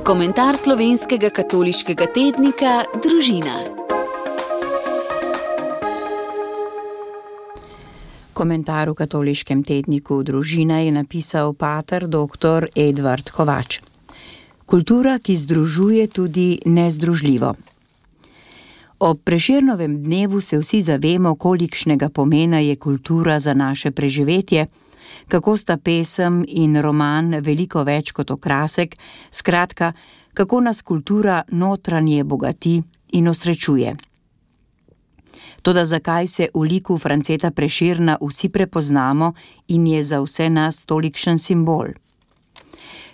Komentar slovenskega katoliškega tednika Družina. Komentar v katoliškem tedniku Družina je napisal pater dr. Edvard Kovač. Kultura, ki združuje tudi nezdružljivo. Ob Prešernovem dnevu se vsi zavemo, kolikšnega pomena je kultura za naše preživetje, kako sta pesem in roman veliko več kot okrasek, skratka, kako nas kultura notranje bogati in osrečuje. Toda zakaj se v liku Franceta Prešerna vsi prepoznamo in je za vse nas tolikšen simbol?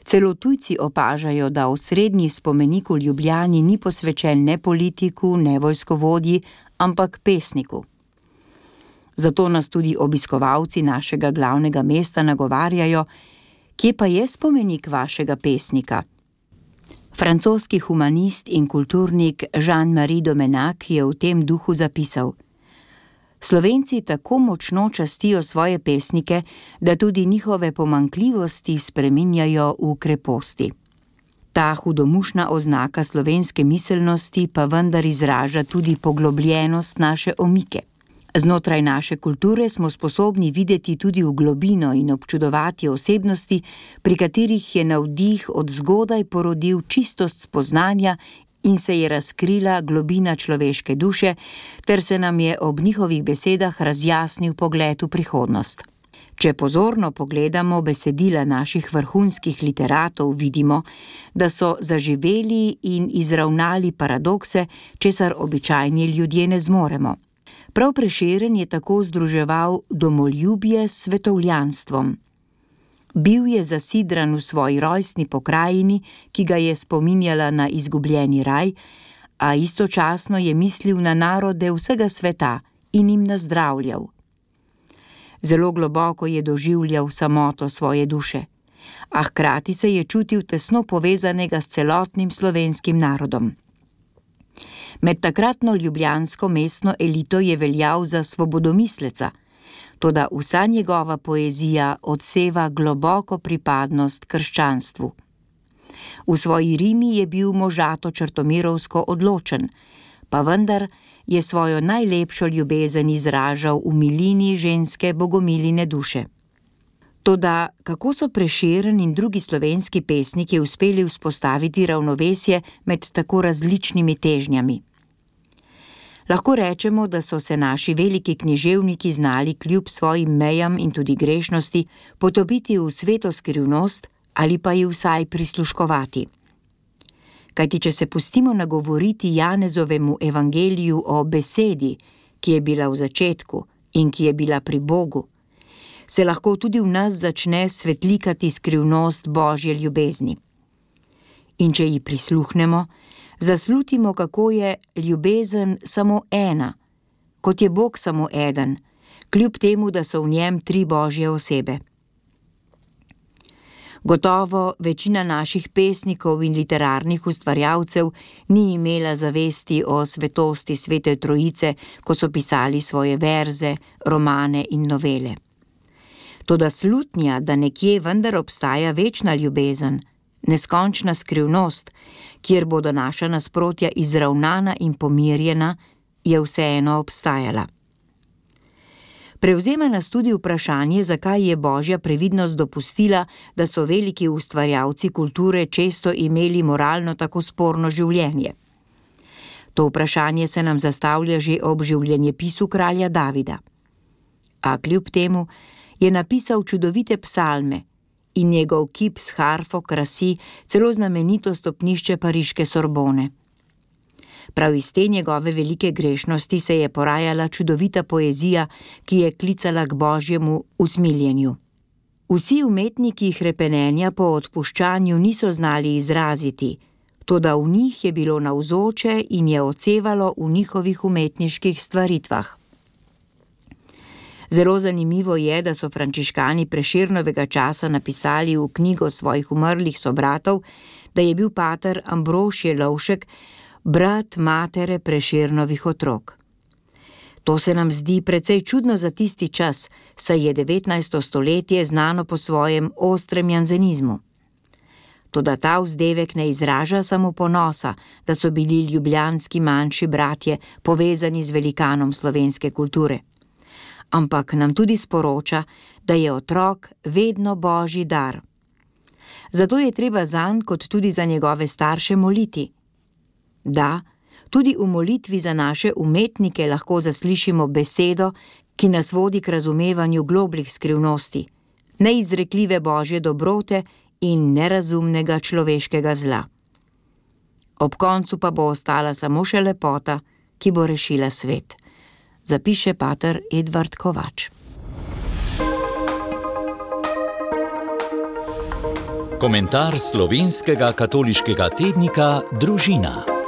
Celo tujci opažajo, da osrednji spomenik v Ljubljani ni posvečen ne politiku, ne vojskovodji, ampak pesniku. Zato nas tudi obiskovalci našega glavnega mesta nagovarjajo, kje pa je spomenik vašega pesnika? Francoski humanist in kulturnik Jean-Marie Domenac je v tem duhu zapisal: Slovenci tako močno častijo svoje pesnike, da tudi njihove pomanjkljivosti spreminjajo v kreposti. Ta hudomušna oznaka slovenske miselnosti pa vendar izraža tudi poglobljenost naše omike. Znotraj naše kulture smo sposobni videti tudi v globino in občudovati osebnosti, pri katerih je navdih od zgodaj porodil čistost spoznanja in se je razkrila globina človeške duše, ter se nam je ob njihovih besedah razjasnil pogled v prihodnost. Če pozorno pogledamo besedila naših vrhunskih literatov, vidimo, da so zaživeli in izravnali paradokse, česar običajni ljudje ne zmoremo. Prav Prešeren je tako združeval domoljubje s svetovljanstvom. Bil je zasidran v svoji rojstni pokrajini, ki ga je spominjala na izgubljeni raj, a istočasno je mislil na narode vsega sveta in jim nazdravljal. Zelo globoko je doživljal samoto svoje duše, a hkrati se je čutil tesno povezanega s celotnim slovenskim narodom. Med takratno ljubljansko mestno elito je veljal za svobodomisleca, toda vsa njegova poezija odseva globoko pripadnost krščanstvu. V svoji rimi je bil možato črtomirovsko odločen, pa vendar je svojo najlepšo ljubezen izražal v milini ženske bogomiline duše. Toda kako so Prešeren in drugi slovenski pesniki uspeli vzpostaviti ravnovesje med tako različnimi težnjami? Lahko rečemo, da so se naši veliki književniki znali kljub svojim mejam in tudi grešnosti potopiti v sveto skrivnost ali pa ji vsaj prisluškovati. Kajti če se pustimo nagovoriti Janezovemu evangeliju o besedi, ki je bila v začetku in ki je bila pri Bogu, se lahko tudi v nas začne svetlikati skrivnost Božje ljubezni. In če ji prisluhnemo, zaslutimo, kako je ljubezen samo ena, kot je Bog samo eden, kljub temu, da so v njem 3 Božje osebe. Gotovo večina naših pesnikov in literarnih ustvarjalcev ni imela zavesti o svetosti Svete Trojice, ko so pisali svoje verze, romane in novele. Toda slutnja, da nekje vendar obstaja večna ljubezen, neskončna skrivnost, kjer bodo naša nasprotja izravnana in pomirjena, je vseeno obstajala. Prevzema nas tudi vprašanje, zakaj je Božja previdnost dopustila, da so veliki ustvarjalci kulture često imeli moralno tako sporno življenje. To vprašanje se nam zastavlja že ob življenjepisu kralja Davida. A kljub temu je napisal čudovite psalme in njegov kip s harfo krasi celo znamenito stopnišče pariške Sorbone. Prav iz te njegove velike grešnosti se je porajala čudovita poezija, ki je klicala k Božjemu usmiljenju. Vsi umetniki hrepenenja po odpuščanju niso znali izraziti, toda v njih je bilo navzoče in je odsevalo v njihovih umetniških stvaritvah. Zelo zanimivo je, da so frančiškani Prešernovega časa napisali v knjigo svojih umrlih sobratov, da je bil pater Ambrožije Lovšek brat matere Prešernovih otrok. To se nam zdi precej čudno za tisti čas, saj je 19. stoletje znano po svojem ostrem janzenizmu. Toda ta vzdevek ne izraža samo ponosa, da so bili ljubljanski manjši bratje povezani z velikanom slovenske kulture, ampak nam tudi sporoča, da je otrok vedno božji dar. Zato je treba zanj, kot tudi za njegove starše, moliti. Da, tudi v molitvi za naše umetnike lahko zaslišimo besedo, ki nas vodi k razumevanju globljih skrivnosti, neizrekljive božje dobrote in nerazumnega človeškega zla. Ob koncu pa bo ostala samo še lepota, ki bo rešila svet, zapiše pater Edvard Kovač. Komentar slovenskega katoliškega tednika Družina.